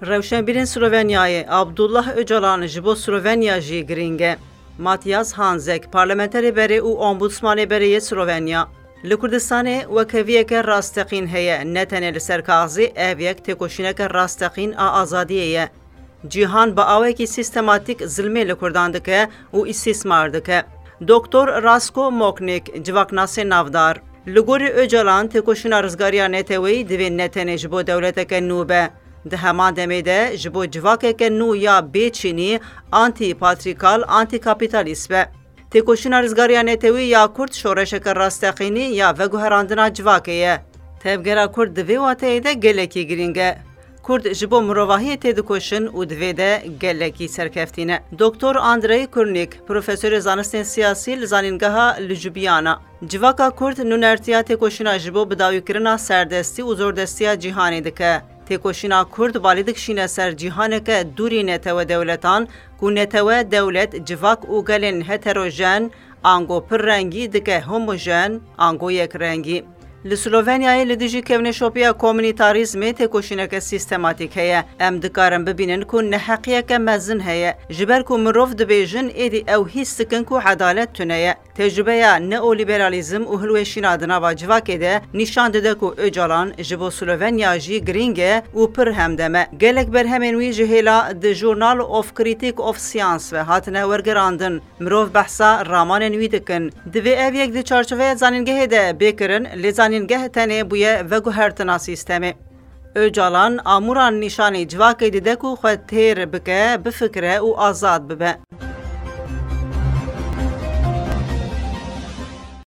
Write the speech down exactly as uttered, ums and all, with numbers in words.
Rewşenbîrên Slovenyayê, Abdullah Ocalan ji bo Slovenya jî girîng e. Matthias Hanzek, parlamenterê berê û ombudsmanê berê yê Slovenya. Li Kurdistanê wekheviyeke rasteqîn heye, ne tenê li ser kaxizê, ev yek têkoşîneke rasteqîn a azadiyê ye. Cîhan bi awekî sîstematîk zilmê li Kurdan dike û îstîsmar dike. Doktor Rasko Moknik, civaknasê navdar. Li gorî Ocalan, têkoşîna rizgariya neteweyî divê ne tenê ji bo dewleteke nû be. Di heman demê de ji bo civakeke nû ya bê çînî, antî-patrîkal, antî-kapîtalîst be. Têkoşîna rizgariya netewî ya Kurd şoreşeke rasteqînî ya veguherandina civakê ye. Tevgera Kurd di vê wateyê de gelekî girîng e. Kurd ji bo mirovahiyê têdikoşin û di vê de gelekî serkeftî ne. Doktor Andrei Kurnik, profesorê zanistên siyasî li Zanîngeha Ljubljana. Civaka Kurd nûnertiya têkoşîna ji bo bidawîkirina serdestî û zordestiya cîhanê dike. Têkoşîna Kurd balê dikişîne ser cîhaneke dûrî netewe dewletan, ku netewe, dewlet, civak û gelên heterojen, ango pirrengî dike homojen, ango yekrengî. Li Slovenyayê li dijî kevneşopiya komunîtarîzmê têkoşîneke sîstematîk heye. Em dikarin bibînin ku neheqiyeke mezin heye. Ji ber ku mirov dibêjin êdî ew hîs dikin ku edalet tune ye. Tecrûbeya neolîberalîzm û hilweşîna di nava civakê de nîşan dide ku Ocalan ji bo Slovenya jî girîng e û pir hemdem e. Gelek berhemên wî ji hêla The Journal of Critique of Science ve hatine wergerandin. Mirov behsa ramanên wî dikin. Divê ev yek di çarçoveya zanîngehê de bê kirin, lê zanîngeh tenê bûye veguhertina sîstemê. Ocalan amûran nîşanî civakê dide ku xwe têr bike, bifikire û azad bibe.